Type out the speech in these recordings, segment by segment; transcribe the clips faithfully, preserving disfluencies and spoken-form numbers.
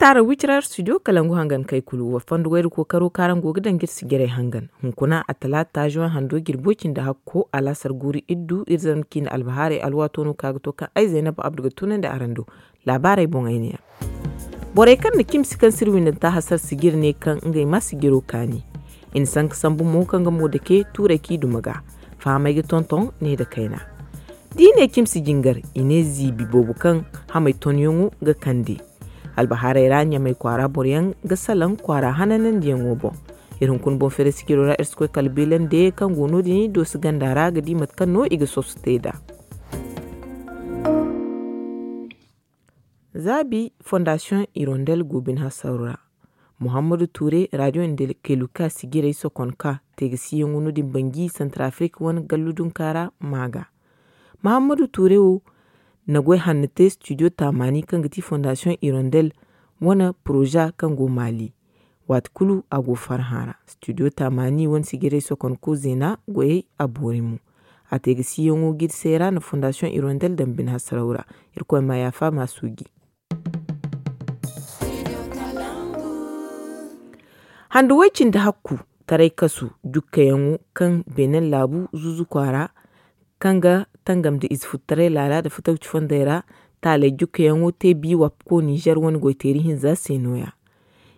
Araŋ wicira studio kalangu hangan kay kulu wa fondo wayra kookaro kaŋ araŋ go ga daŋ ga iri sijirey hangan. Hunkuna a talaata zuwan hando jirbo cindi hakko alaasar guuru iddu iri zarma ciine albahaarey alwaato no kaŋ a ga to kaŋ ay zaynab abdu ga tunandi araŋ do. Laabaarey boŋey ne yaŋ. Borey kaŋ na cimsi kaŋ sirwindanta hasar sijir ne kaŋ ngey ma sijiro kaani. I na sanka sambu mo kaŋ ga mo dake tuurey kaŋ i duma ga. Fahamey ga tonton ne nda kayna. Da i ne cimsi jingar, i ne ziibi boobo kaŋ hamey tonyaŋo ga kande. Albahaarey ra ɲamay kwaara boroyaŋ ga salaŋ kwaara hananandiyaŋo boŋ. Iri hunkuna boŋ feeray sijiro ra iri si koy kala beelande kaŋ go no- din i doosi ganda ra ga di mate kaŋ no i ga soso te nd'a. Zaabi fondasiyoŋ irondel go bine hasaro ra. Muhammadu tuure radiyo nda keluka sijirey sokon ka teegasiyaŋo no- din banji santarafrik wane gallu dunka ra. Maaga muhammadu tuure wo na goy hanno te studio taamaani kaŋ ga ti fondasiyoŋ irondel wane poroza kaŋ go maali. Waati kulu a go farhã ra studio taamaani wane sijirey sokonko zeena goyey a boori mo. A te ga siyaŋo ga iri seera nda fondasiyoŋ irondel daŋ bine hasaraw ra. Irkoy ma yaafa ma suuji. Handu way cindi hakku taray kasu jukkayaŋo kaŋ beenen laabu zuuzu kwaara kaŋ ga tangam nda ize futtaray laala nda fatawci fondey ra. Taaley jukkayaŋo te biiwa ko nizer wane goyteeri hinza se nooya.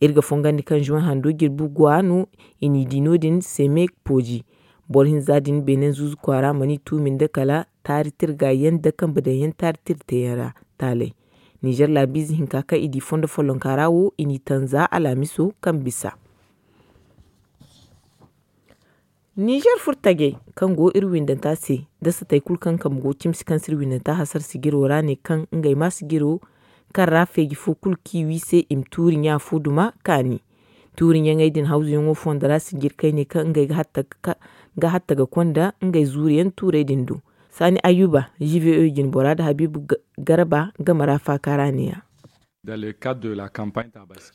Iri ga fongandi kaŋ zuwan hando jirbi go a no. I n'i di no- din seme pooji boro hinza din beenen zuuzu kwaara mana i tuumi nda kala taari tirga yaŋ nda kambe daŋ yaŋ taari tira teeyaŋ ra. Taaley nizer laabiize hinka kaŋ i di fondo follonka ra wo i n'i tanza alaamiso kaŋ bisa. Nizer furtajey kaŋ go iri windanta se nda satey kulu kaŋ kambe go cimsi kaŋ si iri windanta hasara sijiro ra ne kaŋ ngey ma sijiro kaŋ ra feeji fo kulu kaŋ i wi se i ma tuuri ɲa fo duma kaani. Tuuri ɲaŋey din hawzuyaŋo fondo ra sijirkey ne kaŋ ngey ga hatta ga konda ngey zuuriyaŋ tuurey din do. Saani ayuba gvo jinbora nda habiibu garba game ra faaka ra ne- ya.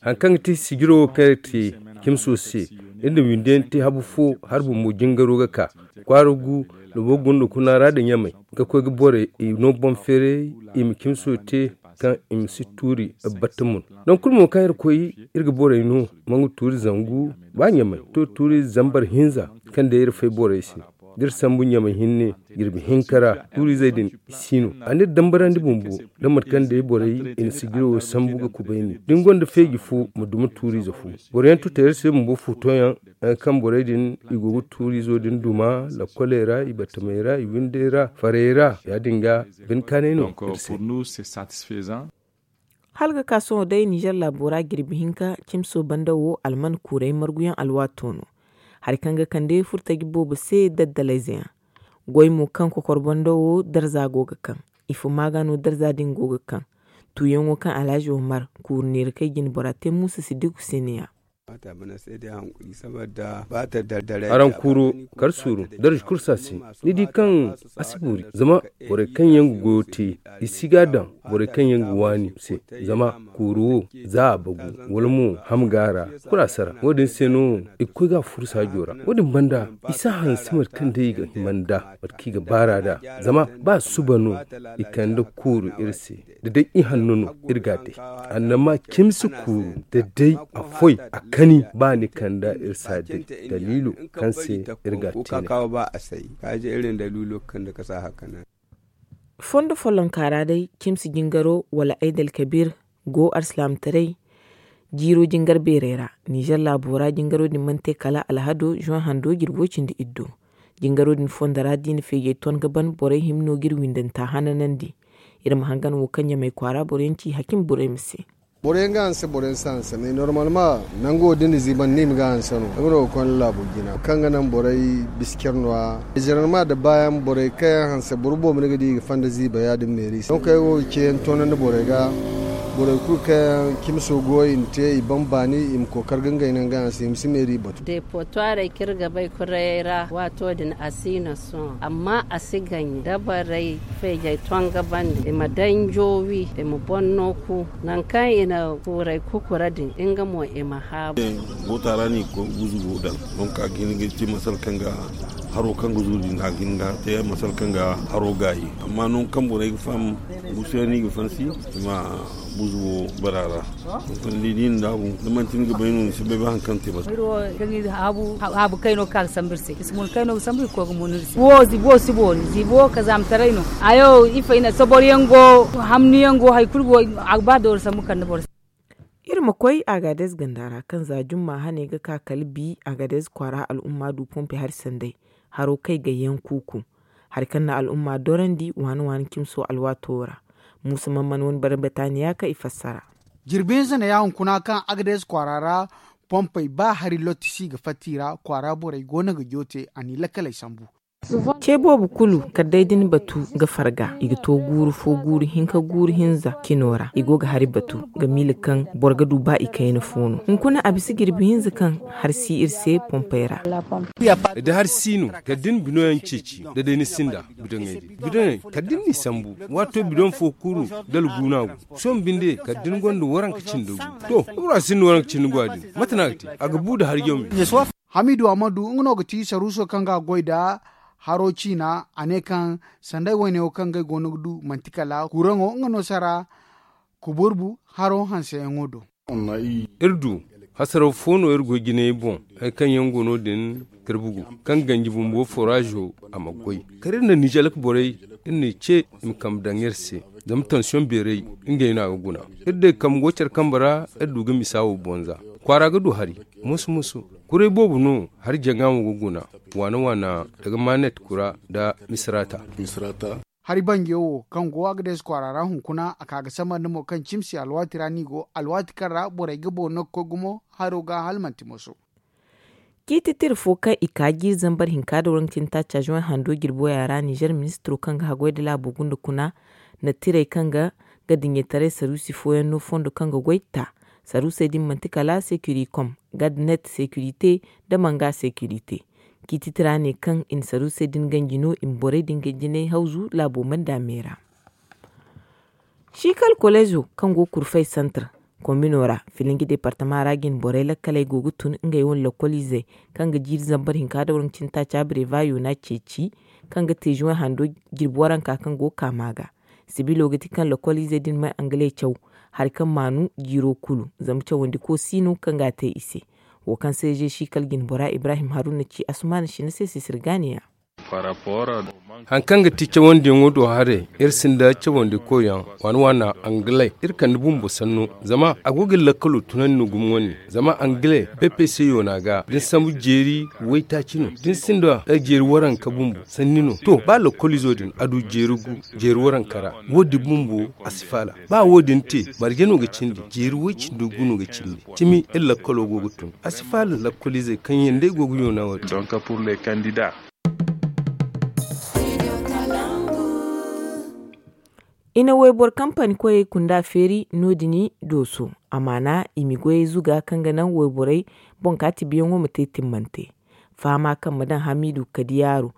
Hari kaŋ ga ti sijiro wo kaŋ iri te cimso se iri na windi yaŋ te habu fo hari bumbo jingaro ga ka kwaara gu. Labo gunda kuna ra nda ɲamay ga koy ga borey i no boŋ feeray i ma cimso te kaŋ i ma si tuuri batta mun. Nangu kulu mo kaŋ iri koy iri ga borey no mangu tuuri zangu ba ɲamay to tuuri zambar hinza kaŋ day iri fay borey se da iri sambu ɲamay hinne jirbi hinka ra tuurizey din i si no a n'iri dambarandi bumbo da mate kaŋ day borey i na sijiro wo sambu ga kubayni da ni gonda feeji fo ma duma tuuriize fo. Boro yaŋ tuta iri se bumbo fuuto yaŋ kaŋ borey din i go ga tuuriizo din duma lakkoley ra i battamey ra i windey ra farey ra ya- din ga bine kaanay no iri se. Hala ga ka sohõ day nizer laabo ra jirbi hinka cimso banda wo alman kuurey marguyaŋ alwaato no. Hari kaŋ ga kande furtaji boobo se daddalayze yaŋ goy mo kaŋ kokor banda wo darza go ga kaŋ ifo maaga no darza din go ga kaŋ. Tuuyaŋo kaŋ alhazi omar kuuru neera kay jinbora te muusa si digu se ne- ya. Araŋ kuuro kar suuru darza kursa se ni di kaŋ a si boori zama borey kaŋ yaŋ ga goyo te i si ga a daŋ borey kaŋ yaŋ ga waani se. Zama kuuru wo za a bagu wala mo ham ga a ra kulu a sara wo- din se no i ga koy ga a furu saajo ra wo- din banda i si a hanse mate kaŋ day i ga hima nd'a mate kaŋ i ga baar'a nd'a. Zama ba suba no i kande kuuru iri se da day i hanno no iri ga a day. Annama cimsi kuuru da day a foy a kani ba ni kanda iri si a day daliilo kaŋ se iri ga a te. Fondo follonka ra day cimsi jingaro wala aydalkabir go alsilaamataray jiiro jingar beerey ra. Nizer laabo ra jingaro din mana te kala alhado zuwan hando jirbo cindi iddo. Jingaro din fondo ra da i na feejey ton ga ban borey hima no ga iri windanta hananandi. Iri ma hangan wo kaŋ ɲamay kwaara boroyaŋ ci hakim borey ma se. Boroyaŋ ga hanse boroyaŋ si hanse mais normalement nango da ni ziiban ni ma ga hanse no nga no ga konda laabo jina kaŋ ga naŋ borey bisa care no- ya. Généralement da baayaŋ borey kaŋ yaŋ hanse boro boobo ni ga di i ga fanda ziiba ya- din meeri se donc ay wo ga ceeyaŋ toonandi borey ga. Borey kulu kaŋ yaŋ cimso go i na te i ban baani i ma kookar ga ngey naŋ ga hanse i ma si meeri batu. Deepotoirey kaŋ iri ga bay kurayey ra waato din a si no sohõ amma a si gaɲe dabarey feejey tonga bande i ma danjo wi i ma boŋ no ku nangu kaŋ i na kuurey kukura din nga mo i ma haabu. Goota ra no i ga koy ga guzugo daŋ donc a ga hin ga te masala kaŋ ga haro kaŋ ga zuru din a ga hin ga te masala kaŋ ga haro gaayi. Amma nangu kaŋ borey ga faham gusuyaŋ no i ga fansi i ma Buzu wo bara ra. Ni di ni daabu da manti ni ga bay no ni si bay ba hari kaŋ te bata. Haabu kayno ga ka ga sambu iri se i si mun kayno ga sambu i ga koy ga mun iri se wo si boori ziibo wo kazaamataray no. Hayo ifo i na sobor yaŋ go hamni yaŋ go hari kulu go a ga ba doori sambu kande boro se. Iri ma koy agaadez ganda ra kaŋ za jumma hane ga ka kala bi agaadez kwaara al'umma du pompe hari sanday haro kay gayyaŋ kuuku. Hari kaŋ na al'umma dorandi waani waani cimso alwaato ra. Muusa mamman wane barbataani ya kaŋ i fassara. Jirbi hinza na ya hunkuna kaŋ agaadez kwaara ra pompey ba hari lottisi ga fatta i ra kwaara borey go no ga joote a n'i lakkaley sambu. Ce boobo kulu kala day da ni batu ga farga i ga to guuru fo guuru hinka guuru hinza cino ra i go ga hari batu ga miila kaŋ boro ga du ba i kayna fo no hunkuna a bisa jirbi hinza kaŋ hari si iri se pompey ra. Da hari si no kala da ni binoyaŋ ceeci da day ni sinda bidoŋey din bidoŋey kala da ni n'i sambu waato bidoŋ fo kuuru da alguuna go sohõ binde kala da ni gonda waranka cindi gu to da bora sinda waranka cindi gu a din mate no a ga te a ga bu nda hari jaw me. Hamidu amadu nga no ga ti saruuso kaŋ ga a goy nda haro ciina a ne kaŋ sanday woyne wo kaŋ ngey go no ga du manti kala kuuraŋo nga no sara kuburbu haro hanseyaŋo do. Iri du hasaraw fo no iri goy jinay boŋ hari kaŋ yaŋ go no- din tirbugu kaŋ ganji bumbo foraazo a ma goy kala iri na nijalak borey iri n'i ce i ma kambe daŋ iri se zama tansiyoŋ beeray ngey no a ga guna. Iri day kambe go care kambe ra iri du ga misa wo bonza kwaara ga du hari moso moso kuray boobo no hari jaŋa mo ga guna waana waana daga maanet kura nda misirata. Hari banjiyo wo kaŋ go agades kwaara ra hunkuna a ka ga samandi mo kaŋ cimsi alwaati ra no i go alwaati kaŋ ra borey ga boori no ga koy gumo haro ga hala manti moso. Ciiti tira fo kaŋ i ka jiiri zambar hinka da waranka cindi taaca zuwen hando jirbo ya ra nizer ministiro kaŋ ga haggoy nda laabo gunda kuna na tirey kaŋ ga ga diɲetaray saruusi fooyaŋ no fondo kaŋ ga goy ta saruusey din manti kala sekurikom gadnet sekurite nda manga sekurite. Ciiti tira ne kaŋ i na saruusey din ganji no i ma borey din ga jinay hawzu laabo manda me ra. Ciikal koleezo kaŋ go kurfay santar komino ra filinji departama ra jine borey lakkaley go ga tun ngey wane lokoliizey kaŋ ga jiiri zambar hinka da waranka cindi taaca breva yoona ceeci kaŋ ga te zuwen hando jirbi waranka kaŋ go ga ka ma ga. Sibilo ga ti kaŋ lokoliizey din may angale caw hari kaŋ maanu jiiro kulu zama cawandi ko si no kaŋ ga a te i se. Wo kaŋ se ze ciikal jine bora ibrahim haruna ci asumaana sina se sisir gaaniya. Hari kaŋ ga ti cawandiyaŋo do haray iri sinda cawandi koyyaŋ waana waana angaley iri kande bumbo sanno zama a go ga iri lakkalo tunandi no gumo wane zama angaley ppc yoona ga da ni sambu jeeri waytaaci no da ni sinda jeeri waranka bumbo sanni no to ba lakkolizo din a du jeeri gu jeeri waranka ra wo- din bumbo a si faala. Ba wo- din te marje no ga cindi jeeri way cindi gu no ga cindi cimi iri lakkalo go ga tun a si faala lakkoliizey kaŋ yaŋ day go ga yoona wo- din. I na wayboro kampani koyey kunda feeri no- din dooso amaana i ma goyey zuga kaŋ ga naŋ wayborey boŋ kaati biyaŋo ma te timmante. Fahama kaŋ ma daŋ hamiidu kadiyaaro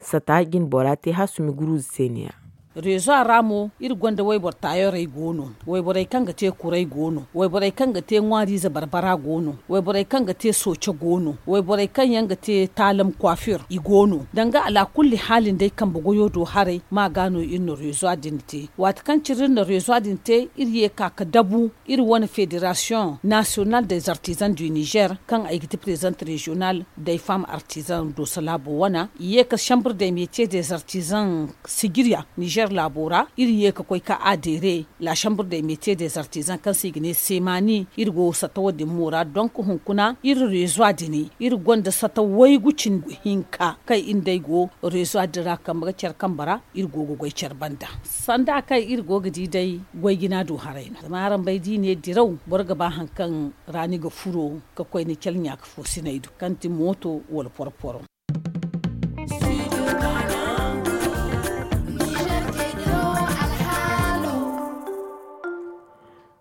sata jine bora te hasumi guruuze se ne- ya. Rezo a ra mo iri gonda wayboro taayorey go no. Wayborey kaŋ ga te kuray go no wayborey kaŋ ga te ŋwaariize barbara go no wayborey kaŋ ga te sooce go no wayborey kaŋ yaŋ ga te taalam kwafir i go no danga alaakulli haali nda ay kambe goyo do haray ma ga no iri na rezo din te. Waati kaŋ cine iri na rezo din te iri ye ka ga dabu iri wane federasiyoŋ nasiyonal des artizan du nizer kaŋ ay ga ti prezent reziyonal day fam artizan doso laabo wana i ye ka sambur de metiye des artizan sijiriya nizer laabo ra iri ye ka koy ka adere la sambur de metiye des artizan kaŋ se i ga ne semani iri go sata wo- din mo ra donk hunkuna iri rezo din iri gonda sata waygu cindi hinka kaŋ iri nd'ey go rezo din ra kambe ga care kambe ra iri go ga goy care banda. Sanda kaŋ iri go ga di day goy jina du haray no zama araŋ bay da i ne diraw boro ga ba hari kaŋ ra ni ga furo ga koy ni care ɲaaka fo sinay do kaŋ ti mooto wala porporo.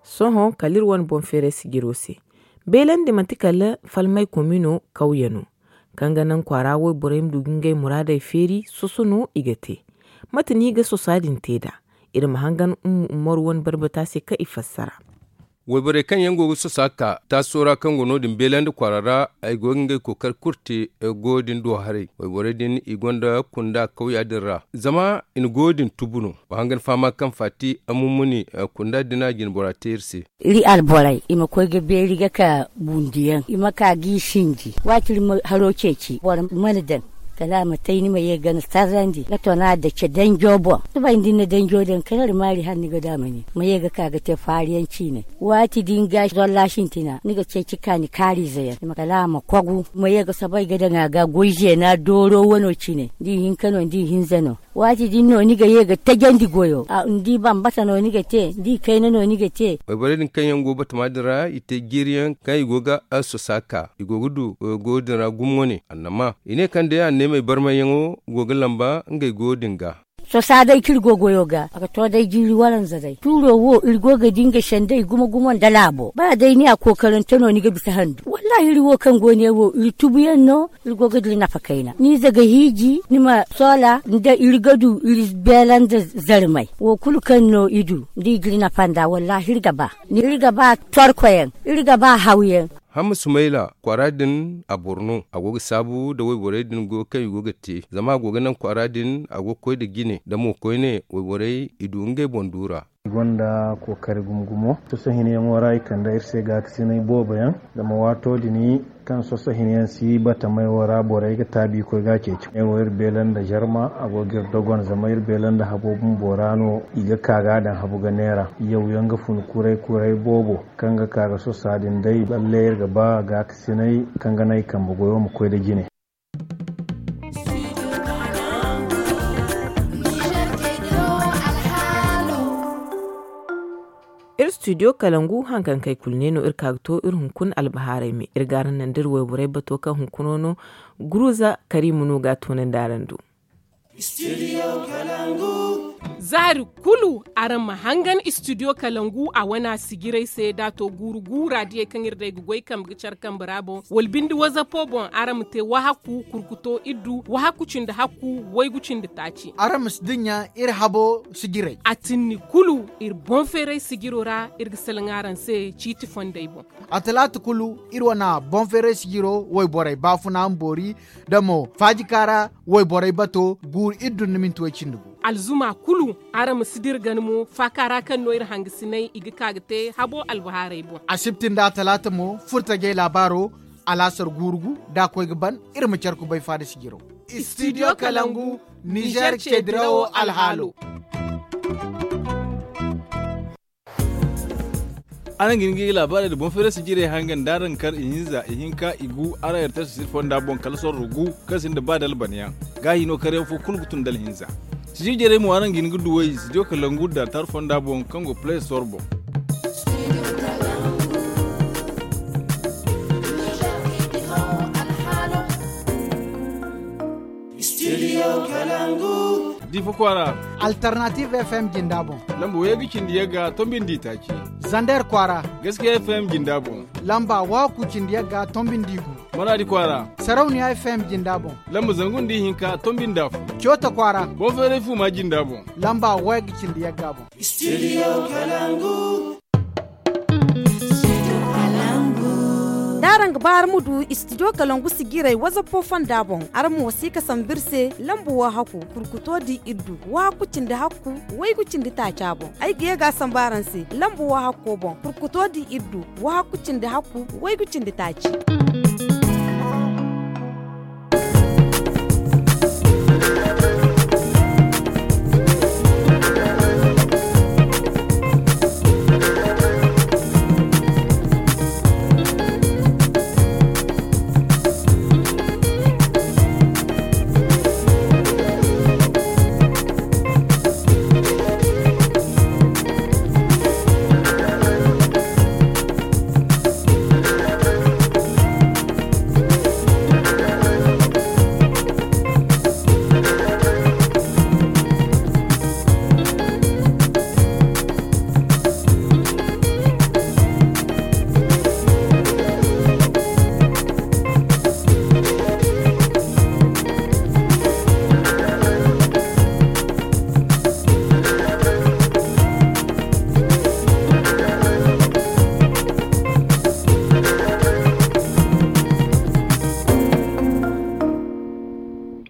Sohõ kala iri wane boŋ feeray sijiro se beelandi manti kala falmay komino kawye no kaŋ ga naŋ kwaara wayborey ma du ga ngey muraadey feeri soso no i ga te. Mate no i ga sosa din te nd'a? Iri ma hangan umma umaru wane barbata se kaŋ i fassara. Wayborey kaŋ yaŋ go ga sosa ka taaso ra kaŋ go no- din beelandi kwaara ra, ay go ga ngey kookari kulu te. Goyo din do haray, wayborey din i gonda kunda kawya din ra, zama i na goyo din tubu no. Wa hangan fahama kaŋ faati ammumuni kunda din a jinbora te iri se. Iri alborey i ma koy ga beeri ga ka bundiyaŋ i ma ka g'i sinji. Waati iri ma haro ceeci boro mana daŋ, kala a ma tay ni ma ye ga ni sarrandi ga tona dace danjo boŋ. Suba ni da ni na danjo daŋ kala iri maari hala ni ga daamani ma ye ga ka ga te faariyaŋ ciinay. Waati din ga zolla sintina ni ga ceeci ka ni kaariize yaŋ kala a ma kogu ma ye ga soobay ga daŋ a ga goy zeena dooro wano cine da i hinka no da i hinza no. Waati din no ni ga ye ga tajandi goyo ni di bambata no ni ga te ni di kayna no ni ga te. Wayborey din kaŋ yaŋ go batama din ra i te jiiriyaŋ kaŋ i go ga sosa ka i go ga du goyo din ra gumo wane annama i ne kaŋ day anneemey barmayyaŋo go ga lamba ngey goyo din ga. Sosa day kaŋ iri go goyo ga a ga to day jiiri waranza day tuuro wo iri go ga di nga sendey gumo gumo nda laabo ba day ni a kookarante no ni ga bisa handu wallaahi iri wo kaŋ go ne wo iri tubuyaŋ no. Iri go ga dira nafa kayna ni za ga hiiji ni ma soola nda iri ga du iri beela nda zarmay wo kulu kaŋ no i du da i dira nafa nda wallaahi iri ga ba. Iri ga ba torkoyaŋ iri ga ba hawyaŋ. Hamma sumayla kwaara din a boro no a go ga saabu nda wayborey din goyo kaŋ i go ga te zama a go ga naŋ kwaara din a go ga koy nda jine nda mo koyne wayborey i du ngey boŋ duura. I gonda kookari gumo gumo soso hinyaŋo ra i kande iri se gaakasinay boobo yaŋ. Zama waato din kaŋ soso hinyaŋ si batamay wo ra borey ga taabi koy ga a ceeci ne wo iri beela nda zarma a go ga iri dogon zama iri beela nda habo bumbo ra no i ga ka ga a daŋ habu ga neera. Yawyaŋ ga fun kuray kuray boobo kaŋ ga ka ga sosa din day balle iri ga ba gaakasinay kaŋ ga naŋ i kambe goyo ma koy nda jine. Iri studio kalangu haŋ kaŋ kay kulu ne no iri ka ga to iri hunkuna albahaarey me iri ga araŋ naŋ da iri wayborey bato kaŋ hunkuno no guruza kariima no ga a toonandi araŋ do. Zaari kulu araŋ ma hangan studio kalangu a wana sijirey se da a to guuru guura diyey kaŋ iri day ga goy kambe ga care kambe ra boŋ wala binde wazapo boŋ araŋ ma te wahakku kurkuto iddu wahakku cindi hakku waygu cindi taaci. Araŋ ma si dinya iri habo sijirey. A tinni kulu iri boŋ feeray sijiro ra iri ga salaŋ araŋ se ciiti fondey boŋ. A talaata kulu iri wana boŋ feeray sijiro wayborey baafuna ma boori da mo faajika ra wayborey bato guuru iddu nda minti way cindi gu. Alzuma kulu araŋ ma si dira gana mo faaka ra kaŋ no iri hangasinay i ga ka ga te habo albahaarey boŋ. Asibti nda talaata mo furtajey laabaaro alaasar guuru gu da a koy ga ban iri ma care kubay faada sijiro. Studio kalangu nizer ceedirawo alhaalo. Araŋ ga hin ga i laabaarey nda boŋ feeray sijirey hangan da araŋ kar ihinza ihinka igu araŋ yartar sisir fonda boŋ kala sorro gu kaŋ sinda ba da albanyaŋ. Gaahi no karyaŋ fo kulu ga tun da alhinza. Sijir jarey mo araŋ ga hin ga duw'ey studio kalangu da altar fonda boŋ kaŋ go play store boŋ. Studio kalangu. Difa kwaara. Alternative fm jinda boŋ. Lamba waygu cindi yagga tombi nda itaaci. Zander kwaara. Gaskiya fm jinda boŋ. Lamba waku cindi yagga tombi nda igu. Maradi kwaara. Sarauniya fm jinda boŋ. Lamba zangu nda ihinka tombi nda fu. Coota kwaara. Boŋ feeray fuma jinda boŋ. Lamba waygu cindi yagga boŋ. Studio kalangu. D'araŋ ga ba araŋ ma du studio kalangu sijiray wazappo fonda boŋ araŋ ma wasi ga sambu iri se lamba wo hakku kurkuto di iddu wo hakku cindi hakku waygu cindi taaca boŋ. Ay ga ye ga a sambu araŋ se lamba wo hakko boŋ kurkuto di iddu wo hakku cindi hakku waygu cindi taaci.